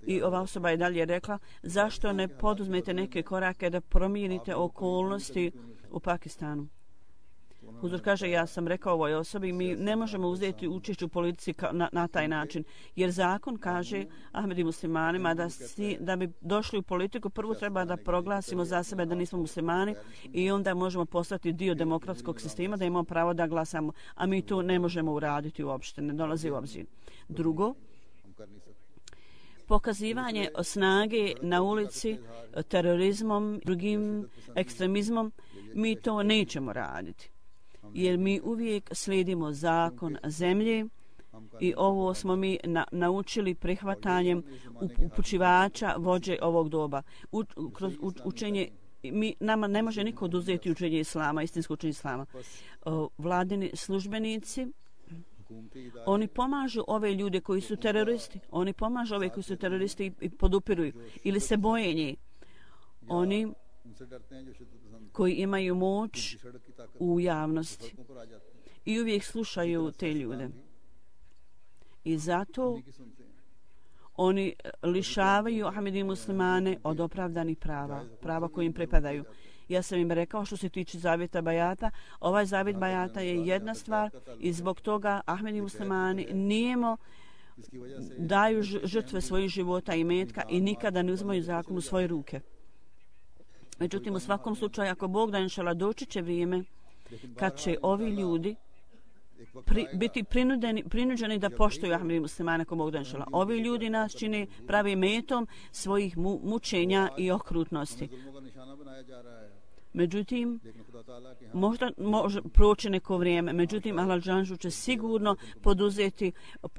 I ova osoba je dalje rekla, zašto ne poduzmete neke korake da promijenite okolnosti u Pakistanu. Huzur kaže, ja sam rekao ovoj osobi, mi ne možemo uzeti učešće u politici na taj način, jer zakon kaže Ahmedi muslimanima da bi došli u politiku, prvo treba da proglasimo za sebe da nismo muslimani i onda možemo postati dio demokratskog sistema, da imamo pravo da glasamo, a mi to ne možemo uraditi uopšte, ne dolazi u obzir. Drugo, pokazivanje snage na ulici, terorizmom, drugim ekstremizmom, mi to nećemo raditi. Jer mi uvijek slijedimo zakon zemlje i ovo smo mi naučili prihvatanjem upućivača vođe ovog doba. Kroz učenje, nama ne može niko oduzeti učenje islama, istinsko učenje islama. Vladini službenici, oni pomažu ove ljude koji su teroristi. Oni pomažu ove koji su teroristi i podupiruju ili se boje njih. Oni koji imaju moć u javnosti i uvijek slušaju te ljude. I zato oni lišavaju Ahmedi muslimane od opravdanih prava koji im pripadaju. Ja sam im rekao što se tiče zavjeta bajata, ovaj zavjet bajata je jedna stvar i zbog toga Ahmedi muslimani nijemo daju žrtve svojih života i metka i nikada ne uzmaju zakon u svoje ruke. Međutim, u svakom slučaju, ako Bog da inšala doći će vrijeme kad će ovi ljudi biti prinuđeni da poštuju Ahmedi muslimane ako Bog da inšala. Ovi ljudi nas čine pravi metom svojih mučenja i okrutnosti. Međutim, možda može proći neko vrijeme, međutim Allah džanžu će sigurno poduzeti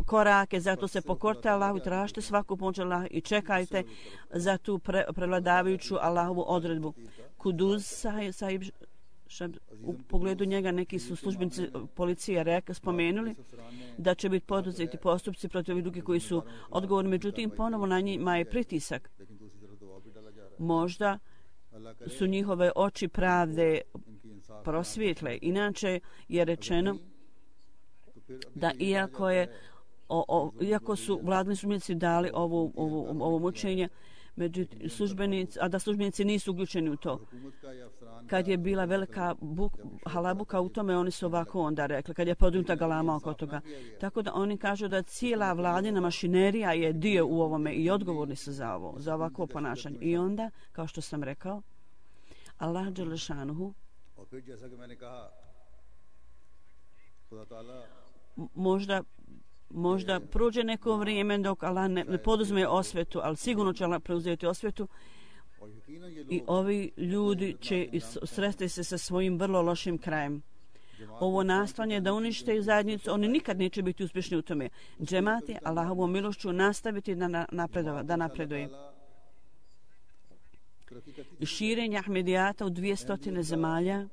korake, zato se pokorite Allahu i tražite svaku pomoć Allaha i čekajte za tu prevladavajuću Allahovu odredbu. Kuduz sahib, u pogledu njega neki su službenici policije spomenuli da će biti poduzeti postupci protiv ovih drugih koji su odgovorni, međutim ponovo na njima je pritisak. Možda su njihove oči pravde prosvjetle. Inače je rečeno da iako su vladni službenici dali ovo mučenje, a da službenici nisu uključeni u to. Kad je bila velika halabuka u tome, oni su ovako onda rekli, kad je podignuta galama oko toga. Tako da oni kažu da cijela vladina mašinerija je dio u ovome i odgovorni su za ovako ponašanje. I onda, kao što sam rekao, Allah dželešanuhu možda prođe neko vrijeme dok Allah ne poduzme osvetu, ali sigurno će Allah preuzeti osvetu i ovi ljudi će sresti se sa svojim vrlo lošim krajem. Ovo nastojanje da unište zajednicu, oni nikad neće biti uspješni u tome. Džemat je Allahovom milošću nastaviti da napreduje. Širenje Ahmedijata u 200 zemalja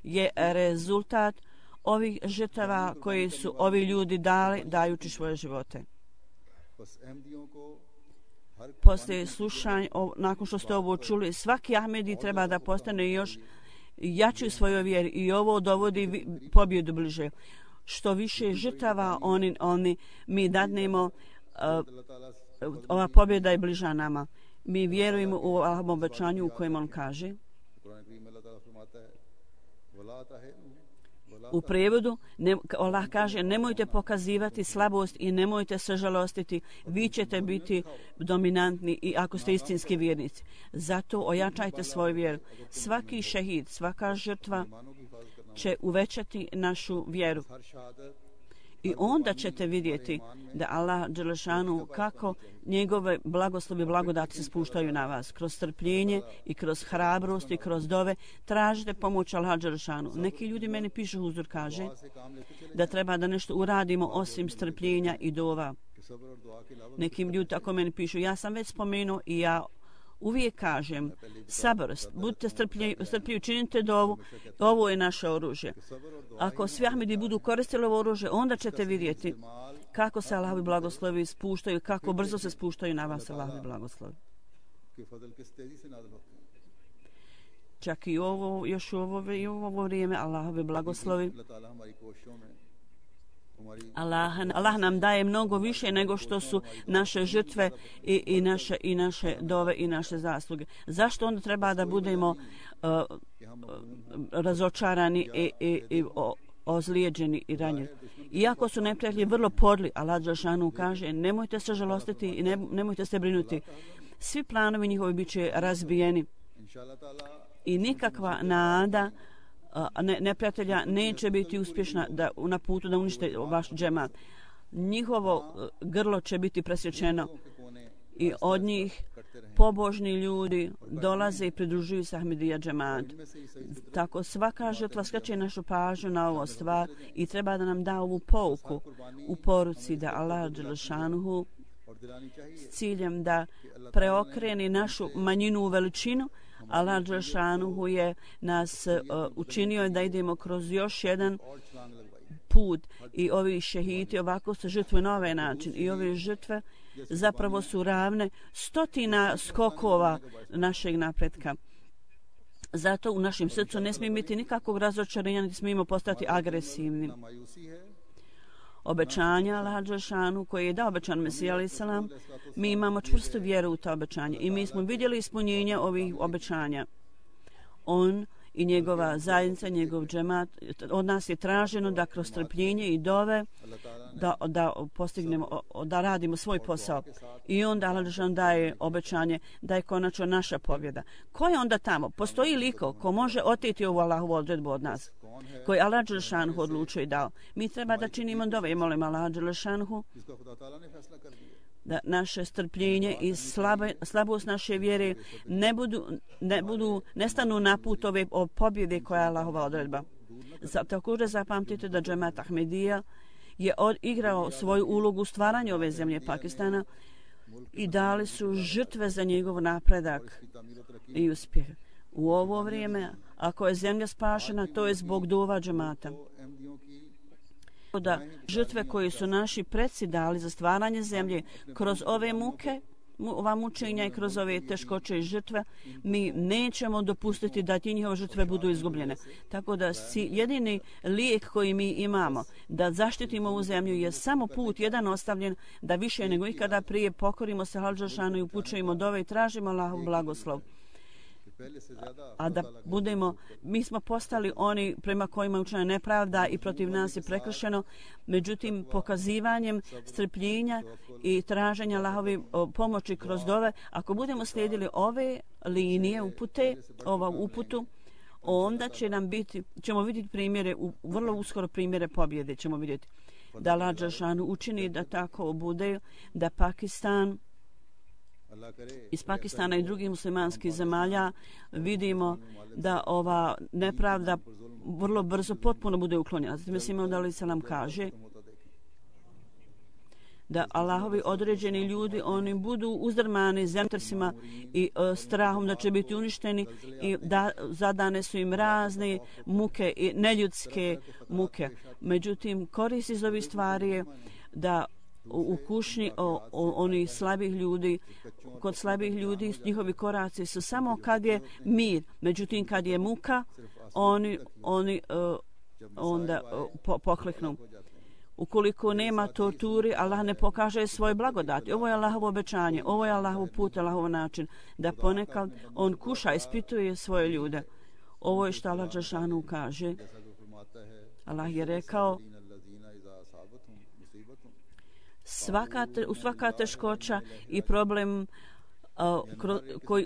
je rezultat ovih žrtava koje su ovi ljudi dali dajući svoje živote. Poslije slušanja, nakon što ste ovo čuli, svaki Ahmedi treba da postane još jači u svojoj vjeri i ovo dovodi pobjedu bliže. Što više žrtava mi dadnemo, ova pobjeda je bliža nama. Mi vjerujemo u ovom obećanju u kojem on kaže u prijevodu, Allah kaže, nemojte pokazivati slabost i nemojte se žalostiti, vi ćete biti dominantni i ako ste istinski vjernici. Zato ojačajte svoju vjeru. Svaki šehid, svaka žrtva će uvećati našu vjeru. I onda ćete vidjeti da Allah dželešanu kako njegove blagoslovi i blagodati se spuštaju na vas. Kroz strpljenje i kroz hrabrost i kroz dove tražite pomoć Allah dželešanu. Neki ljudi meni pišu, huzur kaže, da treba da nešto uradimo osim strpljenja i dova. Nekim ljudi tako meni pišu. Ja sam već spomenuo i ja uvijek kažem, sabrost, budite strpljivi, činite dovu, ovo je naše oružje. Ako svi Ahmedi budu koristili ovo oružje, onda ćete vidjeti kako se Allahovi blagoslovi spuštaju, kako brzo se spuštaju na vas Allahovi blagoslovi. Čak i još u ovo vrijeme Allahovi blagoslovi Allah nam daje mnogo više nego što su naše žrtve i naše dove i naše zasluge. Zašto onda treba da budemo razočarani i ozlijeđeni i ranjeni? Iako su neprijatelji vrlo podli, Allah dželešanu kaže nemojte se žalostiti i nemojte se brinuti. Svi planovi njihovi bit će razbijeni i nikakva nada neprijatelja neće biti uspješna na putu da unište vaš džemat. Njihovo grlo će biti presječeno i od njih pobožni ljudi dolaze i pridružuju se Ahmedija džemat. Tako svaka žrtva skreće našu pažnju na ovo stvar i treba da nam da ovu pouku u poruci da Allah dželešanuhu s ciljem da preokreni našu manjinu u veličinu. Allah dželešanuhu je nas učinio da idemo kroz još jedan put i ovi šehiti ovako se žrtvuju na ovaj način i ove žrtve zapravo su ravne stotina skokova našeg napretka. Zato u našem srcu ne smije biti nikakvog razočarenja, niti smijemo postati agresivni. Obećanja Allaha dželešanu koje je dao obećan Mesija alejhi selam, mi imamo čvrstu vjeru u ta obećanja i mi smo vidjeli ispunjenje ovih obećanja. On i njegova zajednica, njegov džemat, od nas je traženo da kroz strpljenje i dove da postignemo, da radimo svoj posao. I onda Allah dželešanu daje obećanje da je konačno naša pobjeda. Ko je onda tamo? Postoji liko ko može oteti ovu Allahovu odredbu od nas, koji Allah dželešanu odlučio i dao. Mi treba da činimo dove i molimo Allah dželešanu da naše strpljenje i slabost naše vjere ne stanu na put ove pobjede koja je Allahova odredba. Također zapamtite da džemat Ahmedija je igrao svoju ulogu u stvaranju ove zemlje Pakistana i dali su žrtve za njegov napredak i uspjeh. U ovo vrijeme, ako je zemlja spašena, to je zbog dova džemata. Da žrtve koje su naši preci dali za stvaranje zemlje kroz ove muke, ova mučenja i kroz ove teškoće i žrtve, mi nećemo dopustiti da ti njihove žrtve budu izgubljene. Tako da jedini lijek koji mi imamo da zaštitimo ovu zemlju je samo put jedan ostavljen da više nego ikada prije pokorimo se Allahu dželešanu i upućujemo dove i tražimo Allahov blagoslov. A da budemo, mi smo postali oni prema kojima je učinjena nepravda i protiv nas je prekršeno, međutim pokazivanjem strpljenja i traženja Allahove pomoći kroz dove, ako budemo slijedili ove linije upute, uputu, onda ćemo vidjeti primjere, vrlo uskoro primjere pobjede ćemo vidjeti. Da Allah dželešanu učini da tako bude, da Pakistan iz Pakistana i drugih muslimanskih zemalja vidimo da ova nepravda vrlo brzo potpuno bude uklonjena. Zatim Mesija alejhi selam kaže da Allahovi određeni ljudi oni budu uzdrmani zemljotresima i strahom da će biti uništeni i da zadane su im razne muke i neljudske muke. Međutim, korist iz ovih stvari je da u kušnji oni slabih ljudi, kod slabih ljudi njihovi koraci su samo kad je mir, međutim kad je muka oni onda pokleknu. Ukoliko nema torturi, Allah ne pokaže svoje blagodati. Ovo je Allahovo obećanje, ovo je Allahov put, Allahov način da ponekad on kuša, ispituje svoje ljude. Ovo je što Allah dželešanu kaže. Allah je rekao svaka teškoća i problem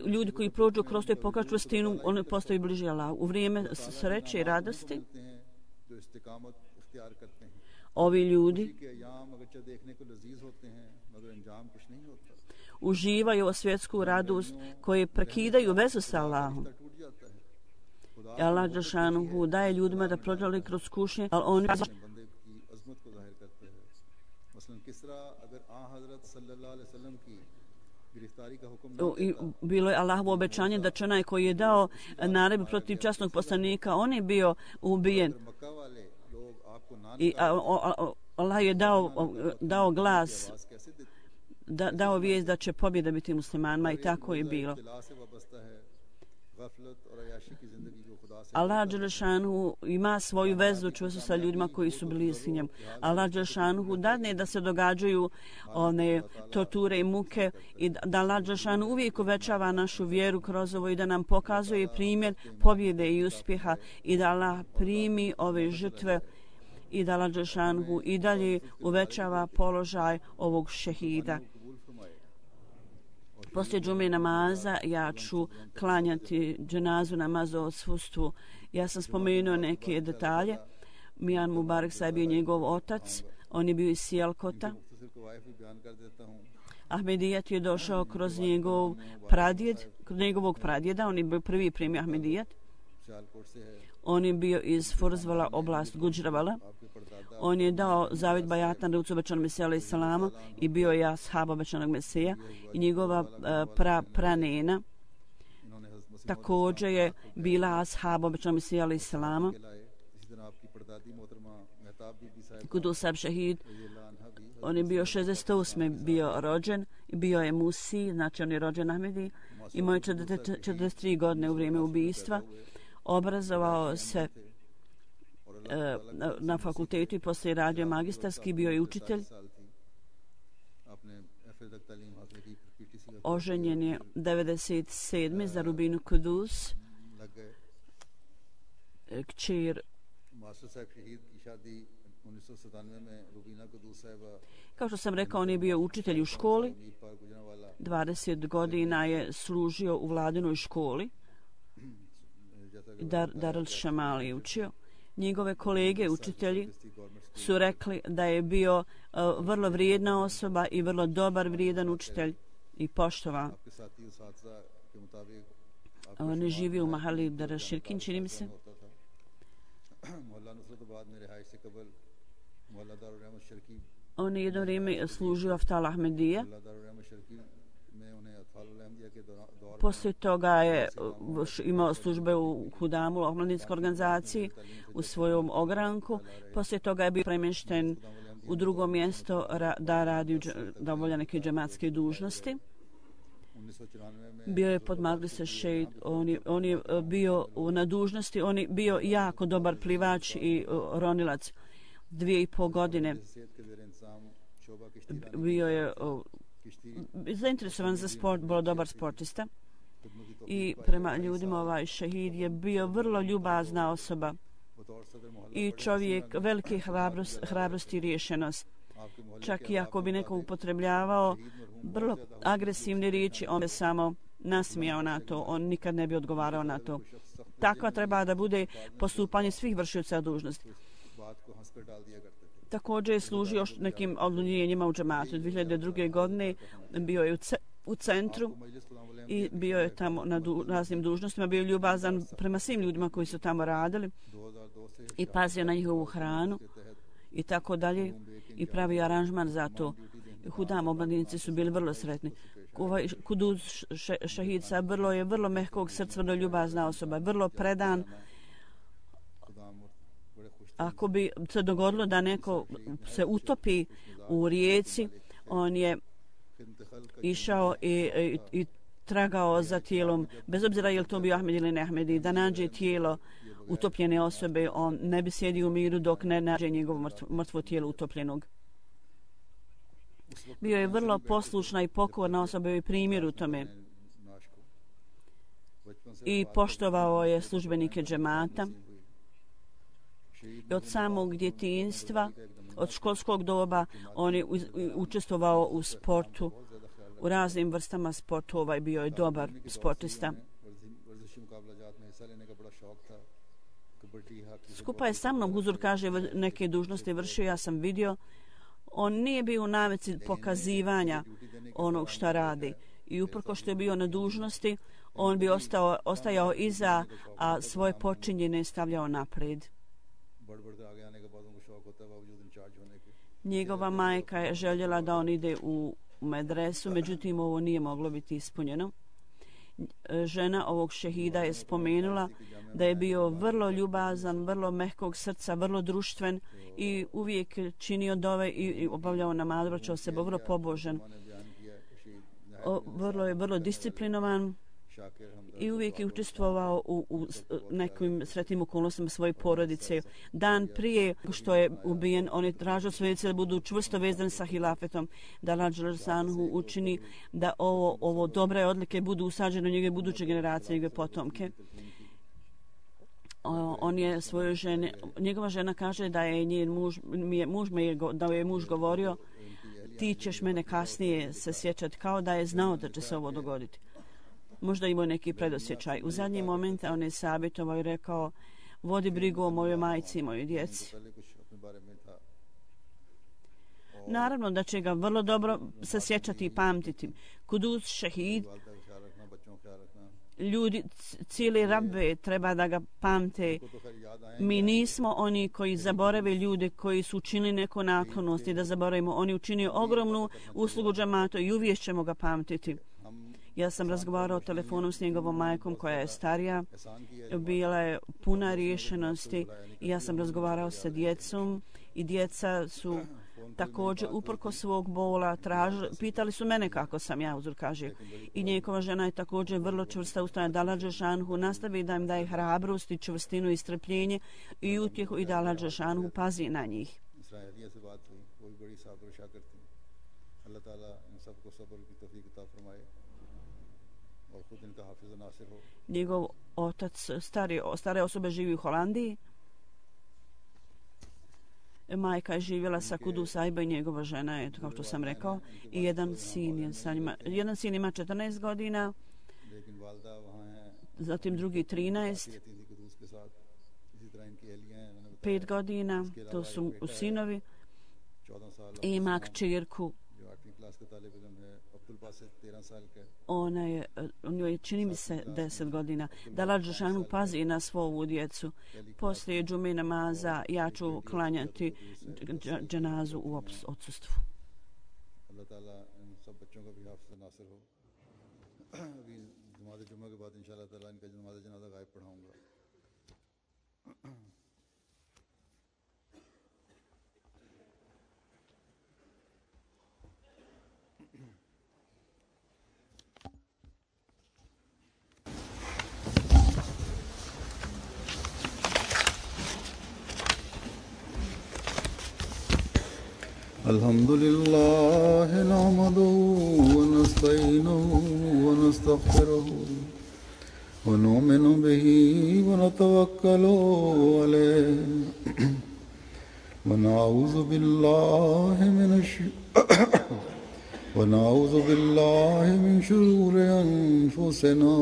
ljudi koji prođu kroz to i pokažu čvrstinu, oni postaju bliži Allahu. U vrijeme sreće i radosti ovi ljudi uživaju svjetsku radost koje prekidaju vezu sa Allahom. Allah dželešanu daje ljudima da prođu kroz kušnje, ali oni bilo je Allahovo obećanje da će onaj koji je dao naredbu protiv časnog poslanika, on je bio ubijen. I Allah je dao glas, dao vijest da će pobjeda biti muslimanima i tako je bilo. Allah Đelešanu ima svoju vezu čvrstu sa ljudima koji su bliski njemu. Allah Đelešanu dadne da se događaju one torture i muke i da Allah Đelešanu uvijek uvećava našu vjeru kroz ovo i da nam pokazuje primjer pobjede i uspjeha i da Allah primi ove žrtve i da Allah Đelešanu i dalje uvećava položaj ovog šehida. Poslije džume namaza ja ću klanjati dženazu namazu o odsustvu. Ja sam spomenuo neke detalje. Mijan Mubarak Sahib je njegov otac, on je bio iz Sijalkota. Ahmedijat je došao kroz njegovog pradjeda, on je bio prvi primjer Ahmedijat. On je bio iz Furzvala, oblast Gudžravala. On je dao zavjet bajata na rucu obećanog Mesija alaih salama i bio je ashab obećanog Mesija i njegova pranena također je bila ashab obećanog Mesija alaih salama. Kudus Sahib šehid, on je bio 68. bio rođen, bio je Musi, znači on je rođen Ahmedi, imao je 43 godine u vrijeme ubijstva, obrazovao se na fakultetu i poslije radio magistarski, bio je učitelj. Oženjen je 97. za Rubinu Kudus, kćer. Kao što sam rekao, on je bio učitelj u školi. 20 godina je služio u vladinoj školi. Darul Šamali je učio. Njegove kolege učitelji su rekli da je bio vrlo vrijedna osoba i vrlo dobar, vrijedan učitelj i poštovan. On je živio u Mahali Darashirkin, čini mi se. On je jedno vrijeme služio Aftal Ahmedija. Poslije toga je imao službe u Hudamu, omladinskoj organizaciji, u svojom ogranku. Poslije toga je bio premješten u drugo mjesto da obavlja neke džematske dužnosti. Bio je pod Magrise Šejid, on je bio na dužnosti, on je bio jako dobar plivač i ronilac. 2,5 godine bio je zainteresovan za sport, bio dobar sportista i prema ljudima ovaj šehid je bio vrlo ljubazna osoba i čovjek velike hrabrosti i rješenost. Čak i ako bi neko upotrebljavao vrlo agresivne riječi, on bi samo nasmijao na to, on nikad ne bi odgovarao na to. Takva treba da bude postupanje svih vršioca dužnosti. Također je služio nekim odlunjenjima u džematu. 2002. godine bio je u centru i bio je tamo na raznim dužnostima, bio je ljubazan prema svim ljudima koji su tamo radili i pazio na njihovu hranu i tako dalje i pravio aranžman za to. Hudam omladinici su bili vrlo sretni. Kudus šehid Sahib je vrlo mehkog srca, vrlo ljubazna osoba, vrlo predan. Ako bi se dogodilo da neko se utopi u rijeci, on je išao i tragao za tijelom, bez obzira je li to bio Ahmed ili ne Ahmedi, da nađe tijelo utopljene osobe, on ne bi sjedio u miru dok ne nađe njegovo mrtvo tijelo utopljenog. Bio je vrlo poslušna i pokorna osoba i primjer u tome. I poštovao je službenike džemata. I od samog djetinjstva, od školskog doba, on je učestvovao u sportu, u raznim vrstama sportova i bio je dobar sportista. Skupa je sa mnom, Huzur kaže, neke dužnosti vršio, ja sam vidio. On nije bio u navici pokazivanja onog šta radi. I uprko što je bio na dužnosti, on bi ostajao iza, a svoje počinjene stavljao naprijed. Njegova majka je željela da on ide u medresu, međutim ovo nije moglo biti ispunjeno. Žena ovog šehida je spomenula da je bio vrlo ljubazan, vrlo mehkog srca, vrlo društven i uvijek činio dove i obavljao namaz, vraćao se vrlo pobožan. Vrlo je vrlo disciplinovan i uvijek je učestvovao u nekim sretnim okolnostima svoje porodice. Dan prije što je ubijen, on je tražio svoje djece da budu čvrsto vezani sa hilafetom, da Allah dželešanu učini da ovo dobre odlike budu usađene u njegove buduće generacije, njegove potomke. On je svojoj ženi, njegova žena kaže da je njen muž govorio, ti ćeš mene kasnije se sjećati, kao da je znao da će se ovo dogoditi. Možda imao neki predosjećaj. U zadnji moment on je savjetovao i rekao, vodi brigu o mojoj majci i mojoj djeci. Naravno da će ga vrlo dobro se sjećati i pamtiti. Kudus šehid, ljudi, cijeli Rabbe treba da ga pamte. Mi nismo oni koji zaborave ljude koji su učinili neku naklonost i da zaboravimo. Oni učinio ogromnu uslugu džamatu i uvijek ćemo ga pamtiti. Ja sam razgovarao telefonom s njegovom majkom koja je starija, bila je puna riješenosti i ja sam razgovarao sa djecom i djeca su također uprko svog bola pitali su mene kako sam ja, uzor kaže. I njegova žena je također vrlo čvrsta ustrajna, da Allah dželešanu nastavi da im daje hrabrost i čvrstinu i strpljenje i utjehu i da Allah dželešanu pazi na njih. Njegov otac stare osobe živi u Holandiji. Majka je živjela sa Kudus Ajba i njegova žena je, kao što sam rekao, i jedan sin je sa njima. Jedan sin ima 14 godina, zatim drugi 13, 5 godina, to su sinovi, i ima kćerku. On je, čini mi se, 10 godina. Da Allah dželešanu pazi na svoju djecu. Poslije džume namaza ja ću klanjati dženazu u odsustvu. الحمد لله نحمده ونستعينه ونستغفره ونؤمن به ونتوكل عليه ونعوذ بالله من شرور أنفسنا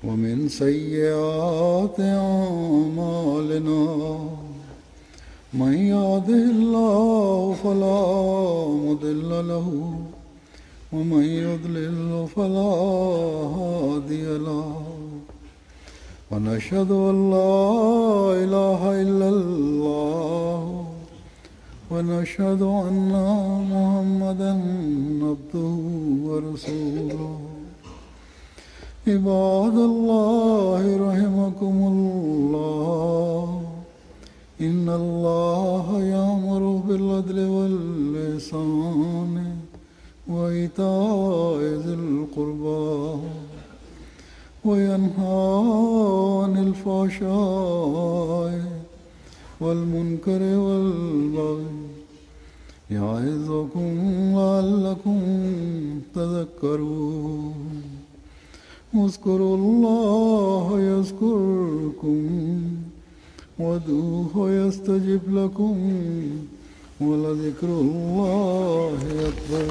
ومن سيئات أعمالنا من يهده الله فلا مضل له ومن يضلل فلا هادي له ونشهد أن لا إله إلا الله ونشهد أن محمدا عبده ورسوله عباد الله رحمكم الله إن الله يأمر بالعدل والإحسان وإيتاء ذي القربى وينهى عن الفحشاء والمنكر والبغي يعظكم لعلكم تذكرون اذكروا الله يذكركم وادعوه يستجب لكم ولذكر الله أكبر.